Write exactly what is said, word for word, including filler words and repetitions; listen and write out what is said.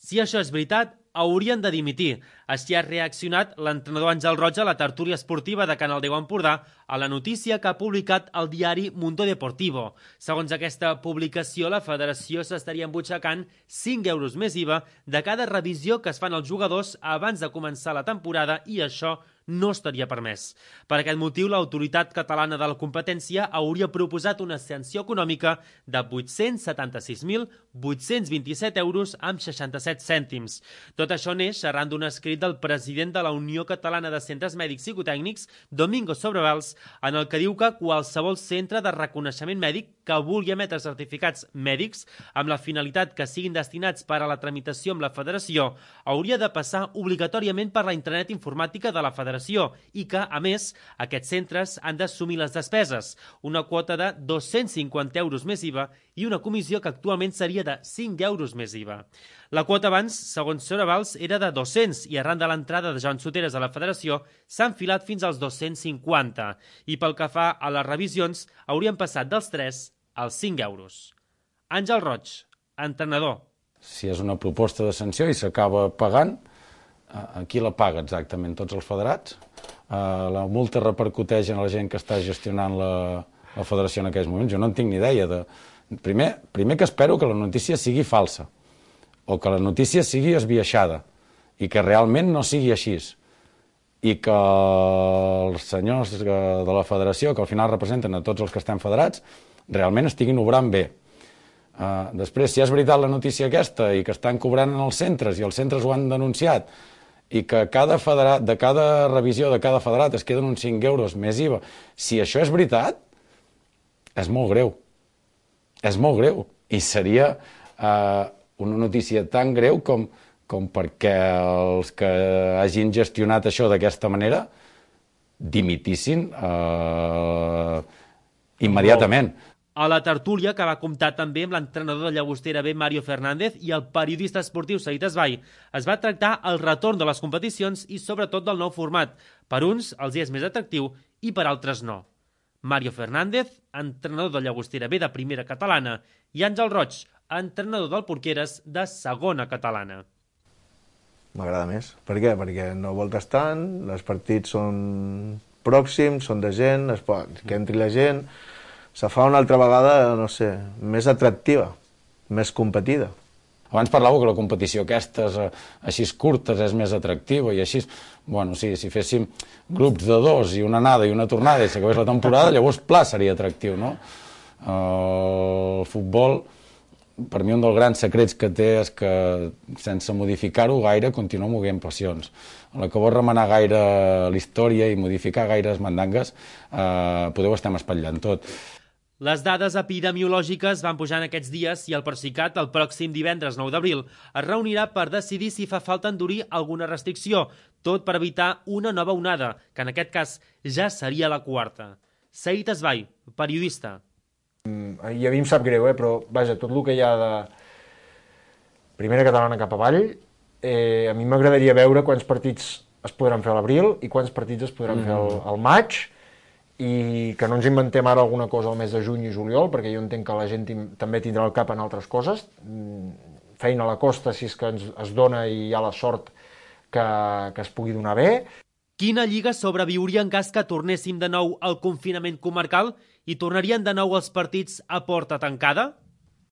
Si això és veritat, haurien de dimitir. Així ha reaccionat l'entrenador Àngel Roig a la tertúlia esportiva de Canal deu Empordà a la notícia que ha publicat el diari Mundo Deportivo. Segons aquesta publicació, la federació s'estaria embutxacant cinc euros més I V A de cada revisió que es fan als jugadors abans de començar la temporada i això no estaria permès. Per aquest motiu, l'Autoritat Catalana de la Competència hauria proposat una sanció econòmica de vuit-cents setanta-sis mil vuit-cents vint-i-set euros amb seixanta-set cèntims. Tot això neix arran d'un escrit del president de la Unió Catalana de Centres Mèdics Psicotècnics, Domingo Sobrevals, en el que diu que qualsevol centre de reconeixement mèdic que vulgui emetre certificats mèdics amb la finalitat que siguin destinats per a la tramitació amb la federació hauria de passar obligatòriament per la intranet informàtica de la federació i que, a més, aquests centres han d'assumir les despeses, una quota de dos-cents cinquanta euros més I V A i una comissió que actualment seria de cinc euros més I V A. La quota abans, segons Sobrevals, era de dos-cents i arran de l'entrada de Joan Soteres a la federació s'ha enfilat fins als dos-cents cinquanta i pel que fa a les revisions haurien passat dels tres als cinc euros. Àngel Roig, entrenador. Si és una proposta de sanció i s'acaba pagant, a qui la paga exactament? Tots els federats? La multa repercuteix en la gent que està gestionant la, la federació en aquells moments? Jo no en tinc ni idea. De... Primer, primer que espero que la notícia sigui falsa o que la notícia sigui esbiaixada i que realment no sigui així i que els senyors de la federació, que al final representen a tots els que estem federats, realment estiguin obrant bé. Uh, després, si és veritat la notícia aquesta i que estan cobrant en els centres i els centres ho han denunciat i que cada federat, de cada revisió de cada federat es queden uns cinc euros més I V A, si això és veritat, és molt greu. És molt greu. I seria uh, una notícia tan greu com, com perquè els que hagin gestionat això d'aquesta manera dimitissin uh, immediatament. A la tertúlia, que va comptar també amb l'entrenador de Llagostera B, Mario Fernández, i el periodista esportiu Said Esbai, es va tractar el retorn de les competicions i sobretot del nou format. Per uns els és més atractiu i per altres no. Mario Fernández, entrenador de Llagostera B de primera catalana, i Àngel Roig, entrenador del Porqueres de segona catalana. M'agrada més. Per què? Perquè no voltes tant, els partits són pròxims, són de gent, es pot, que entri la gent... Se fa una altra vegada, no sé, més atractiva, més competida. Abans parlàveu que la competició aquestes, així curtes, és més atractiva i així... Bueno, sí, si féssim grups de dos i una anada i una tornada i s'acabés la temporada, llavors, pla, seria atractiu, no? El futbol, per mi, un dels grans secrets que té és que, sense modificar-ho gaire, continua movent passions. A la que vols remenar gaire la història i modificar gaires mandangues, eh, podeu estar espatllant tot. Les dades epidemiològiques van pujant aquests dies i el Procicat, el pròxim divendres nou d'abril, es reunirà per decidir si fa falta endurir alguna restricció, tot per evitar una nova onada, que en aquest cas ja seria la quarta. Said Esbai, periodista. I a mi em sap greu, eh? Però vaja, tot el que hi ha de primera catalana cap avall, eh, a mi m'agradaria veure quants partits es podran fer a l'abril i quants partits es podran mm. fer al, al maig, i que no ens inventem ara alguna cosa al mes de juny i juliol, perquè jo entenc que la gent també tindrà el cap en altres coses, feina a la costa si és que ens, es dona i hi ha la sort que, que es pugui donar bé. Quina lliga sobreviuria en cas que tornéssim de nou al confinament comarcal i tornarien de nou els partits a porta tancada?